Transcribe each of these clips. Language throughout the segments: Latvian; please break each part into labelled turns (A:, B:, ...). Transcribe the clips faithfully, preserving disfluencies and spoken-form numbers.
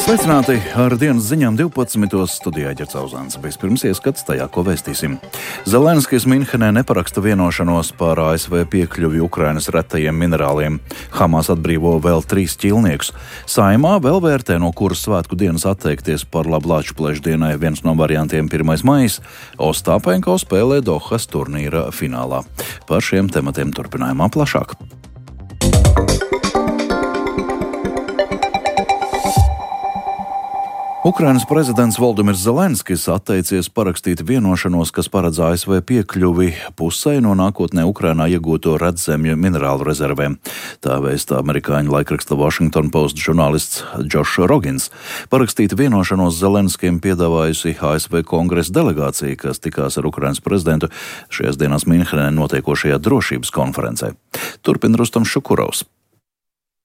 A: Sveicināti ar dienas ziņām divpadsmitos studijā Ģercauzāns. Vispirms ieskats tajā, ko vēstīsim. Zelenskijs Minhenē neparaksta vienošanos par A S V piekļuvi Ukrainas retajiem minerāliem. Hamas atbrīvo vēl trīs ķīlniekus. Saeimā vēl vērtē, no kuras svētku dienas atteikties par labu Lāčplēšu dienai. Viens no variantiem pirmais maijs. Ostāpenko spēlē Dohas turnīra finālā. Par šiem tematiem turpinājumā plašāk. Ukrainas prezidents Voldimirs Zelenskijs atteicies parakstīt vienošanos, kas paredz A S V piekļuvi pusei no nākotnē Ukrainā iegūto redzemju minerālu rezervēm. Tā vēsta amerikāņu laikraksta Washington Post žurnālists Josh Rogins. Parakstīt vienošanos Zelenskijam piedāvājusi A S V kongresa delegācija, kas tikās ar Ukrainas prezidentu šajās dienās Minhenē notiekošajā drošības konferencē. Turpina Rustams Šukurovs.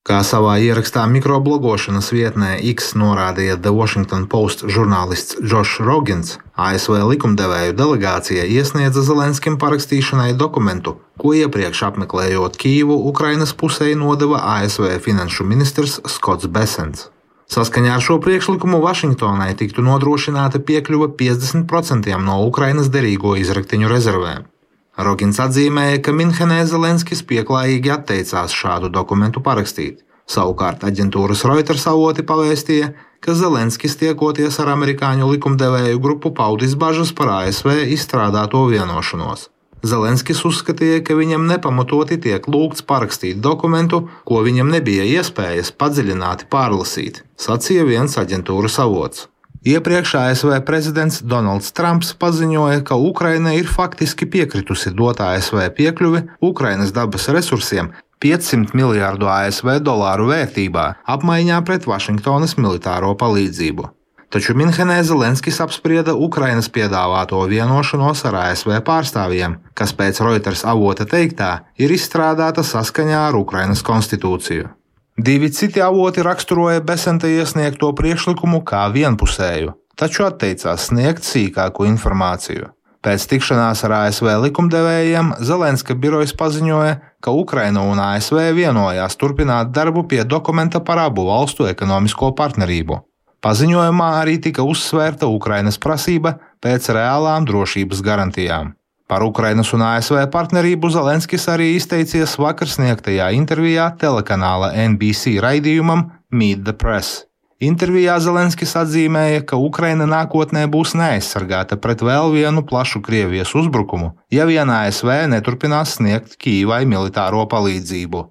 B: Kā savā ierakstā mikroblogošanas vietnē X norādīja The Washington Post žurnālists Josh Rogins, A S V likumdevēju delegācija iesniedza Zelenskim parakstīšanai dokumentu, ko iepriekš apmeklējot Kijivu, Ukrainas pusei nodeva A S V finanšu ministrs Skots Besents. Saskaņā ar šo priekšlikumu Vašingtonai tiktu nodrošināta piekļuva piecdesmit procentiem no Ukrainas derīgo izraktiņu rezervēm. Rogins atzīmēja, ka Minhenē Zelenskis pieklājīgi atteicās šādu dokumentu parakstīt. Savukārt aģentūras Reuters avoti pavēstīja, ka Zelenskis tiekoties ar amerikāņu likumdevēju grupu paudis bažas par A S V izstrādāto vienošanos. Zelenskis uzskatīja, ka viņam nepamatoti tiek lūgts parakstīt dokumentu, ko viņam nebija iespējas padziļināti pārlasīt, sacīja viens aģentūras avots. Iepriekš A S V prezidents Donalds Trumps paziņoja, ka Ukraina ir faktiski piekritusi dot A S V piekļuvi Ukrainas dabas resursiem piecsimt miljārdu A S V dolāru vērtībā, apmaiņā pret Vašingtonas militāro palīdzību. Taču Minhenē Zelenskis apsprieda Ukrainas piedāvāto vienošanos ar A S V pārstāvjiem, kas pēc Reuters avota teiktā ir izstrādāta saskaņā ar Ukrainas konstitūciju. Divi citi avoti raksturoja Besenta iesniegto priekšlikumu kā vienpusēju, taču atteicās sniegt sīkāku informāciju. Pēc tikšanās ar A S V likumdevējiem Zelenska birojas paziņoja, ka Ukraina un A S V vienojās turpināt darbu pie dokumenta par abu valstu ekonomisko partnerību. Paziņojumā arī tika uzsvērta Ukrainas prasība pēc reālām drošības garantijām. Par Ukrainas un A S V partnerību Zelenskis arī izteicies vakar sniegtajā intervijā telekanāla N B C raidījumam Meet the Press. Intervijā Zelenskis atzīmēja, ka Ukraina nākotnē būs neaizsargāta pret vēl vienu plašu Krievijas uzbrukumu, ja vien A S V neturpinās sniegt Kijivai militāro palīdzību.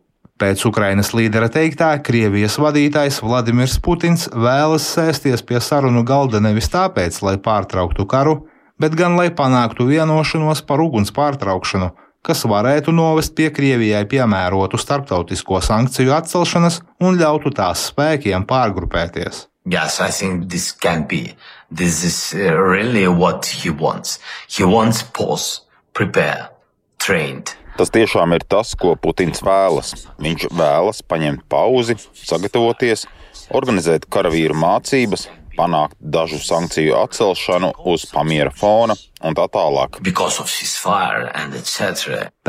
B: Pēc Ukrainas līdera teiktā, Krievijas vadītājs Vladimirs Putins vēlas sēsties pie sarunu galda nevis tāpēc, lai pārtrauktu karu, bet gan lai panāktu vienošanos par uguns pārtraukšanu, kas varētu novest pie Krievijai piemērotu starptautisko sankciju atcelšanas un ļautu tās spēkiem pārgrupēties.
C: Yes, I think this can be. This is really what he wants. He wants pause, prepare, trained.
D: Tas tiešām ir tas, ko Putins vēlas. Viņš vēlas paņemt pauzi, sagatavoties, organizēt karavīru mācības, panākt dažu sankciju atcelšanu uz pamiera fona un tā tālāk.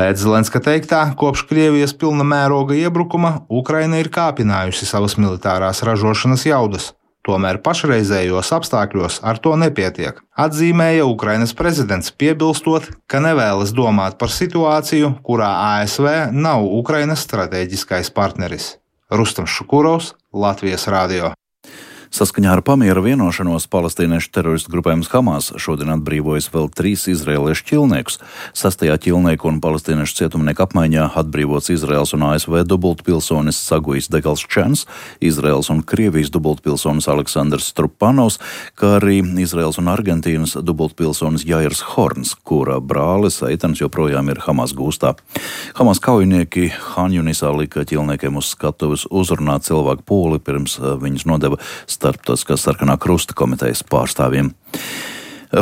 B: Pēc Zelenska teiktā, kopš Krievijas pilna mēroga iebrukuma Ukraina ir kāpinājusi savas militārās ražošanas jaudas. Tomēr pašreizējos apstākļos ar to nepietiek, atzīmēja Ukrainas prezidents, piebilstot, ka nevēlas domāt par situāciju, kurā A S V nav Ukrainas stratēģiskais partneris. Rustams Šukurovs, Latvijas radio.
A: Saskaņā ar pamiera vienošanos palestīniešu teroristu grupējums Hamas šodien atbrīvojas vēl trīs izraēliešu ķilniekus. Sastajā ķilnieku un palestīniešu cietumnieku apmaiņā atbrīvots Izraels un A S V dubultpilsonis Sagujs Degalščens, Izraels un Krievijas dubultpilsonis Aleksandrs Strupanovs, kā arī Izraels un Argentīnas dubultpilsonis Jairs Horns, kura brālis Eitans joprojām ir Hamas gūstā. Hamas kaujinieki Hanjunisā lika ķilniekiem uz skatuves uzrunāt cilvēku pūli, pirms viņus nodeva Starptautiskās sarkanā krusta komitejas pārstāvjiem.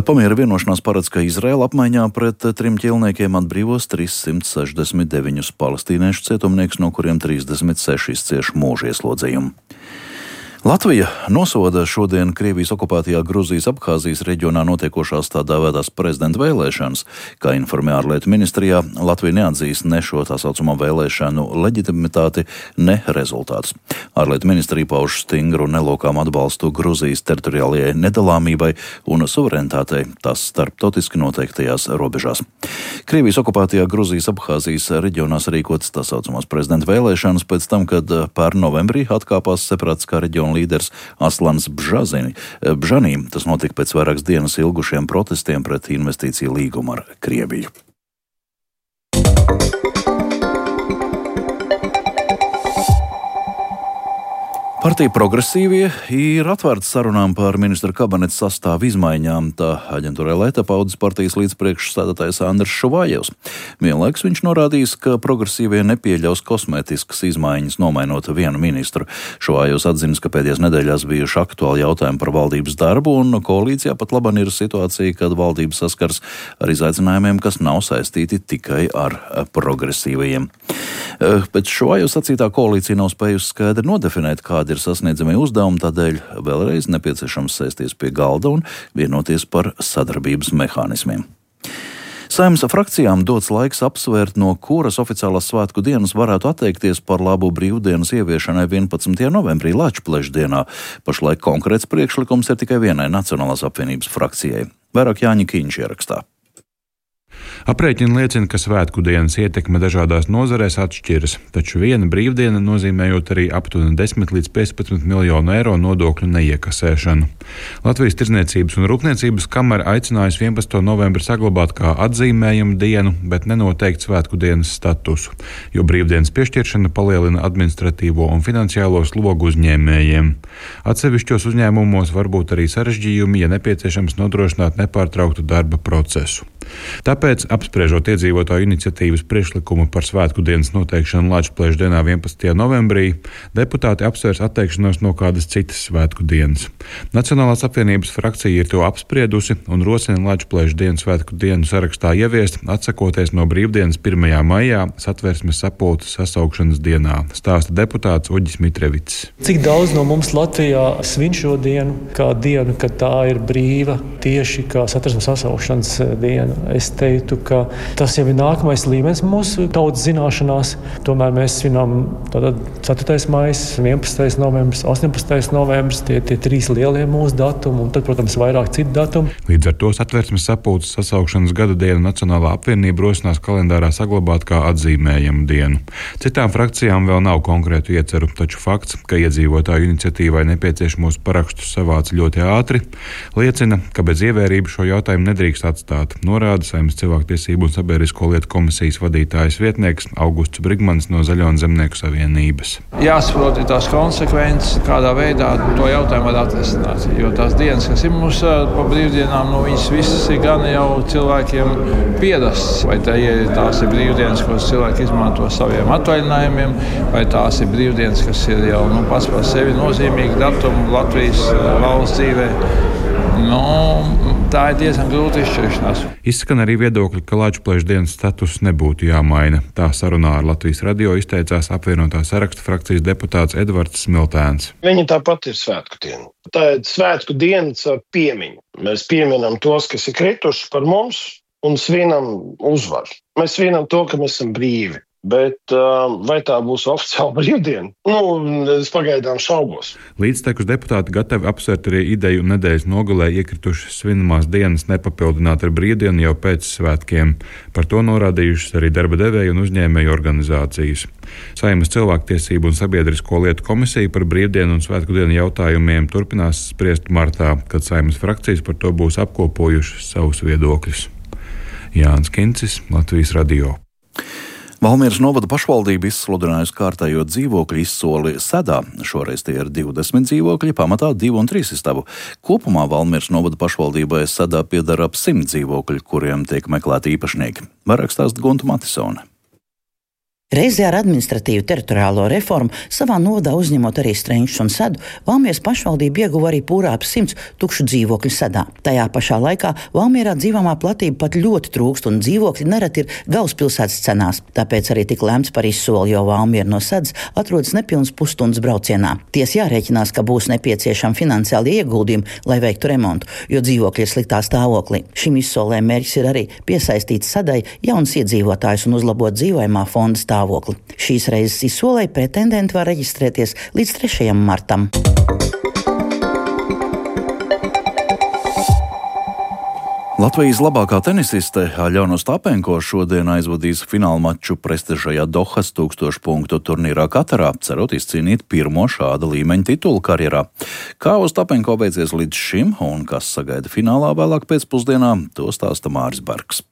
A: Pamiera vienošanās paredz, ka Izraela apmaiņā pret trim ķilniekiem atbrīvos trīssimt sešdesmit deviņus palestīniešu cietumniekus, no kuriem trīsdesmit seši cieš mūža ieslodzījumu. Latvija nosoda šodien Krievijas okupētajā Gruzijas Abhāzijas reģionā notiekošās tā dēvētās prezidenta vēlēšanas. Kā informē ārlietu ministrijā, Latvija neatzīst ne šo tā saucamo vēlēšanu leģitimitāti, ne rezultātus. Ārlietu ministrija pauž stingru nelokām atbalstu Gruzijas teritoriālajai nedalāmībai un suverenitātei tās starptautiski noteiktajās robežās. Krievijas okupētajā Gruzijas Abhāzijas reģionā sarīkotas tā saucamās prezidenta vēlēšanas pēc tam, kad pērn novembrī atkāpās separātiskā reģiona līderis Aslans Bžazini. Bžanī. Tas notika pēc vairākas dienas ilgušiem protestiem pret investīciju līgumu ar Krieviju. Partija Progresīvie ir atvērta sarunām par ministra kabineta sastāvu izmaiņām, tā aģentūrai Leta paudzes partijas līdzpriekšsēdētājs Andris Šuvājevs. Vienlaikus viņš norādījis, ka Progresīvie nepieļaus kosmētiskas izmaiņas, nomainot vienu ministru. Šuvājevs atzinis, ka pēdējās nedēļās bijuši aktuāli jautājumi par valdības darbu, un koalīcijā pat laban ir situācija, kad valdības saskars ar izaicinājumiem, kas nav saistīti tikai ar progresīvajiem. Pēc Šuvājevs sacītā koalīcija nav spējusi skaidri nodefinēt, kādi ir sasniedzamie uzdevumi, tādēļ vēlreiz nepieciešams sēsties pie galda un vienoties par sadarbības mehānismiem. Saeimas frakcijām dots laiks apsvērt, no kuras oficiālās svētku dienas varētu atteikties par labu brīvdienas ieviešanai vienpadsmitajā novembrī Lačpleša dienā. Pašlaik konkrēts priekšlikums ir tikai vienai Nacionālās apvienības frakcijai. Vairāk Jāņa Kīņš ierakstā.
E: Aprēķini liecina, ka svētku dienas ietekme dažādās nozarēs atšķiras, taču viena brīvdiena nozīmējot arī aptuveni desmit līdz piecpadsmit miljonu eiro nodokļu neiekasēšanu. Latvijas Tirdzniecības un Rūpniecības kamera aicinājusi vienpadsmito novembri saglabāt kā atzīmējumu dienu, bet nenoteikt svētku dienas statusu, jo brīvdienas piešķiršana palielina administratīvo un finansiālo slogu uzņēmējiem. Atsevišķos uzņēmumos var būt arī sarežģījumi, ja nepieciešams nodrošināt nepārtrauktu darba procesu. Tāpēc, apspriežot iedzīvotāju iniciatīvas priekšlikumu par svētku dienas noteikšanu Lačpleša dienā vienpadsmitajā novembrī, deputāti apsvērs atteikšanos no kādas citas svētku dienas. Nacionālās apvienības frakcija ir to apspriedusi un rosina Lačpleša dienas svētku dienu sarakstā ieviest, atsakoties no brīvdienas pirmajā maijā Satversmes sapulces sasaukšanas dienā, stāsta deputāts Uģis Mitrevits.
F: Cik daudz no mums Latvijā svin šo dienu, kā dienu, kad tā ir brīva, tieši kā Satversmes sasaukšanas diena? Es teiktu, ka tas jau ir nākamais līmenis mūsu tautas zināšanās. Tomēr mēs svinām tātad ceturtais maijs, vienpadsmitais novembris, astoņpadsmitais novembris, tie, tie trīs lielie mūsu datumi, un tad, protams, vairāk citu datumu.
E: Līdz ar to Satversmes sapulces sasaukšanas gada dienu Nacionālā apvienība rosinās kalendārā saglabāt kā atzīmējumu dienu. Citām frakcijām vēl nav konkrētu ieceru, taču fakts, ka iedzīvotāju iniciatīvai nepieciešamos parakstus savāca ļoti ātri, liecina, ka bez ievērības šo jautājumu nedrīkst atstāt. Norāda Saeimas cilvēktiesību un sabiedrisko lietu komisijas vadītājas vietnieks Augusts Brigmans no Zaļo un Zemnieku savienības.
G: Jāsaprot tās konsekvences, kādā veidā to jautājumu var atrisināt. Jo tās dienas, kas ir mums pa brīvdienām, nu, viņas visas ir gan jau cilvēkiem pierasts. Vai tā ir, tās ir brīvdienas, ko cilvēki izmanto saviem atvaļinājumiem, vai tās ir brīvdienas, kas ir jau nu, pats par sevi nozīmīgi datumi Latvijas valsts dzīvē. Nu, tā ir diezgan grūta izšķiršanās.
E: Izskan arī viedokļi, ka Lačpleša dienas status nebūtu jāmaina. Tā sarunā ar Latvijas radio izteicās apvienotā saraksta frakcijas deputāts Edvards Smiltēns.
H: Viņa tāpat ir svētku diena. Tā ir svētku dienas ar piemiņu. Mēs pieminam tos, kas ir krituši par mums, un svinam uzvaru. Mēs svinam to, ka mēs esam brīvi. Bet uh, vai tā būs oficiāla brīvdiena? Nu, es pagaidām šaubos.
E: Līdztekus deputāti gatavi apsvērt arī ideju nedēļas nogalē iekritušas svinamās dienas nepapildināt ar brīvdienu jau pēc svētkiem. Par to norādījušas arī darba devēju un uzņēmēju organizācijas. Saeimas cilvēktiesību un sabiedrisko lietu komisija par brīvdienu un svētku dienu jautājumiem turpinās spriest martā, kad Saeimas frakcijas par to būs apkopojušas savus viedokļus. Jānis Kincis, Latvijas radio.
A: Valmieras novada pašvaldība izsludinājusi kārtējo dzīvokļu izsoli Sedā. Šoreiz tie ir divdesmit dzīvokļi, pamatā divu un trīs istabu. Kopumā Valmieras novada pašvaldībai Sedā pieder ap simt dzīvokļi, kuriem tiek meklēti īpašnieki. Vairāk stāsta Gunta Matisone.
I: Reizē ar administratīvu teritoriālo reformu savā novadā uzņemot arī Strenčus un Sedu, Valmieras pašvaldība ieguva arī pūrāp simts tukšu dzīvokļu Sedā. Tajā pašā laikā Valmierā dzīvojamā platība pat ļoti trūkst un dzīvokļi nereti ir galvaspilsētas cenās. Tāpēc arī tik lemts par izsoli, jo Valmiera no Sedas atrodas nepilnas pusstundas braucienā. Ties jārēķinās, ka būs nepieciešami finansiāli ieguldījumi, lai veiktu remontu, jo dzīvokļi ir sliktā stāvoklī. Šim izsolē mērķis ir arī piesaistīt Sedai jaunas iedzīvotājus un uzlabot dzīvojamā fonda stāvokli. Šīs reizes izsolē pretendenti var reģistrēties līdz trešajam martam.
A: Latvijas labākā tenisiste Aļona Ostapenko šodien aizvadīs fināla maču prestižajā Dohas tūkstošu punktu turnīrā Katarā, cerot izcīnīt pirmo šāda līmeņa titulu karjerā. Kā Ostapenko beidzies līdz šim un kas sagaida finālā vēlāk pēcpusdienā, to stāsta Māris Bergs.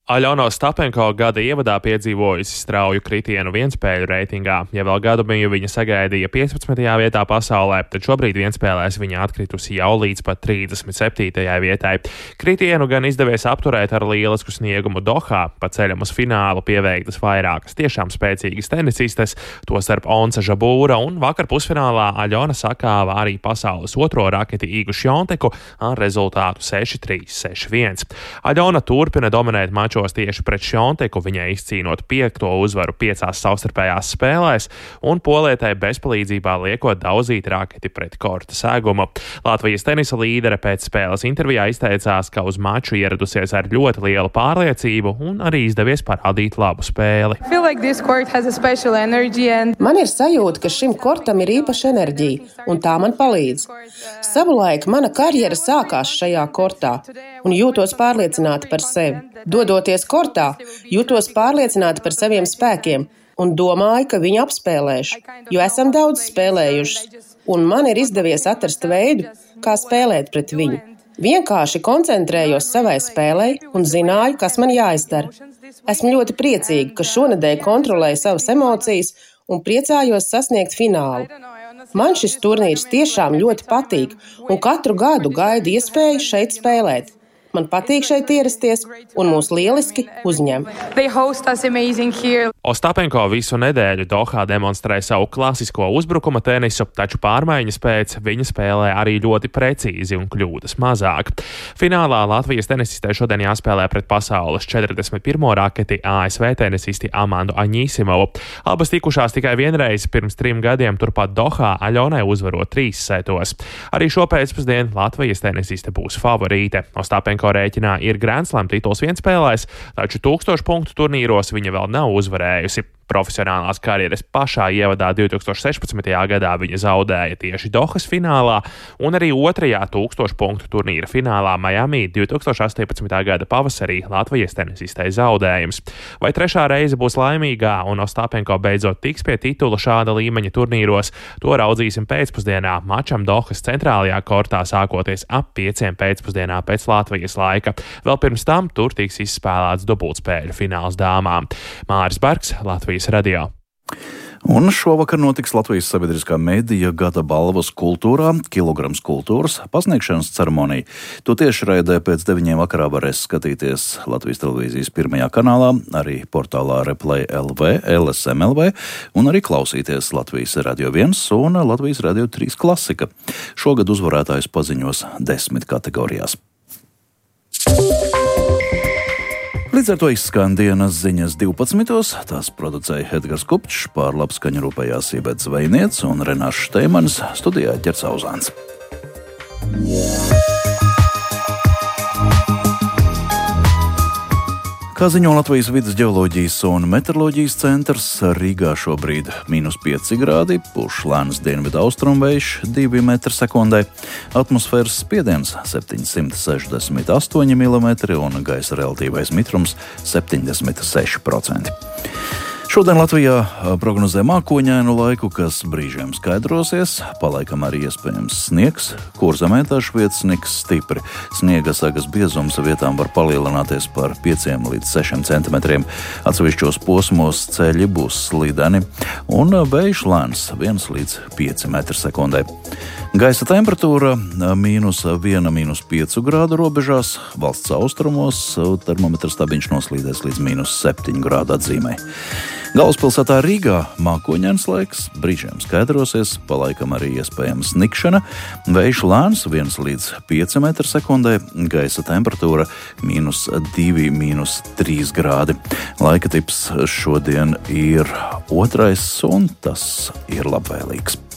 J: Aļona Ostapenko gada ievadā piedzīvojusi strauju kritienu vienspēļu reitingā. Ja vēl gadu bija viņa sagaidīja piecpadsmitajā vietā pasaulē, tad šobrīd vienspēlēs viņa atkritusi jau līdz pat trīsdesmit septītajai vietai. Kritienu gan izdevies apturēt ar lielisku sniegumu Dohā, pa ceļam uz finālu pieveiktas vairākas tiešām spēcīgas tenisistes, tostarp Onsa Žabūra, un vakar pusfinālā Aļona sakāva arī pasaules otro raketi Igu Šjonteku ar rezultātu seši trīs, seši viens. Aļona turpina dominēt maču tieši pret Šjonteku, viņai izcīnot piekto uzvaru piecās savstarpējās spēlēs un polietai bezpalīdzībā liekot daudzīt raketi pret korta segumu. Latvijas tenisa līdere pēc spēles intervijā izteicās, ka uz maču ieradusies ar ļoti lielu pārliecību un arī izdevies parādīt labu spēli.
K: Man ir sajūta, ka šim kortam ir īpaša enerģija, un tā man palīdz. Savulaik mana karjera sākās šajā kortā, un jūtos pārliecināta par sevi. Dodoties kortā, jūtos pārliecināta par saviem spēkiem un domāju, ka viņu apspēlēšu, jo esam daudz spēlējuši, un man ir izdevies atrast veidu, kā spēlēt pret viņu. Vienkārši koncentrējos savai spēlei un zināju, kas man jāizdara. Esmu ļoti priecīga, ka šonedēļ kontrolēju savas emocijas un priecājos sasniegt finālu. Man šis turnīrs tiešām ļoti patīk un katru gadu gaidu iespēju šeit spēlēt. Man patīk šeit ierasties, un mūs lieliski uzņem.
J: Ostapenko visu nedēļu Dohā demonstrē savu klasisko uzbrukuma tenisu, taču pārmaiņas pēc viņa spēlē arī ļoti precīzi un kļūdas mazāk. Finālā Latvijas tenisistē šodien jāspēlē pret pasaules četrdesmit pirmo raketi A S V tenisisti Amandu Aņisimovu. Abas tikušās tikai vienreiz pirms trim gadiem turpat Dohā, Aļonai uzvarot trīs setos. Arī šo pēcpusdienu Latvijas tenisiste būs favorīte. Ostapenko rēķinā ir Grand Slam tituls vienspēlēs, taču tūkstošu punktu turnīros viņa vēl nav uzvarējusi. Profesionālās karjeras pašā ievadā divtūkstoš sešpadsmitajā gadā viņa zaudēja tieši Dohas finālā un arī otrajā tūkstošu punktu turnīra finālā Miami divtūkstoš astoņpadsmitā gada pavasarī Latvijas tenisistei zaudējums. Vai trešā reize būs laimīgā un Ostapenko beidzot tiks pie titula šāda līmeņa turnīros, to raudzīsim pēcpusdienā mačam Dohas centrālajā kortā sākoties ap pieciem pēcpusdienā pēc Latvijas laika. Vēl pirms tam tur tiks izspēlēts dubultspēļu fināls dāmām. Māris Bergs, Latvijas radio.
A: Un šovakar notiks Latvijas sabiedriskā medija gada balvas kultūrā, kilograms kultūras pasniegšanas ceremonija. To tieši raidē pēc deviņiem vakarā varēs skatīties Latvijas televīzijas pirmajā kanālā, arī portālā Replay L V, L S M L V un arī klausīties Latvijas radio viens un Latvijas radio trīs klasika. Šogad uzvarētājus paziņos desmit kategorijās. Līdz ar to izskan dienas ziņas divpadsmitos. Tās producēja Edgars Kupčs, pār labskaņu rūpējās Ībets Zvejniec un Renārs Šteimanis, studijā Ģerts Auzāns. Kā ziņo Latvijas vides ģeoloģijas un meteoroloģijas centrs, Rīgā šobrīd mīnus pieci grādi, pūš lēns dienvidu austrumvējš divi metri sekundē, atmosfēras spiediens septiņsimt sešdesmit astoņi milimetri un gaisa relatīvais mitrums septiņdesmit seši procenti. Šodien Latvijā prognozē mākoņainu laiku, kas brīžiem skaidrosies, palaikam arī iespējams sniegs, Kurzemē dažviet sniks stipri. Sniega sagas biezums vietām var palielināties par pieciem līdz sešiem centimetriem. Atsevišķos posmos ceļi būs slideni un vējš lēns viens līdz pieci metri sekundē. Gaisa temperatūra mīnus viena, mīnus piecu grādu robežās, valsts austrumos termometra stabiņš noslīdēs līdz mīnus septiņu grādu atzīmē. Galvaspilsētā Rīgā mākoņains laiks, brīžiem skaidrosies, palaikam arī iespējama snikšana, vējš lēns viens līdz pieci metri sekundē, gaisa temperatūra mīnus divi, mīnus trīs grādi. Laika tips šodien ir otrais un tas ir labvēlīgs.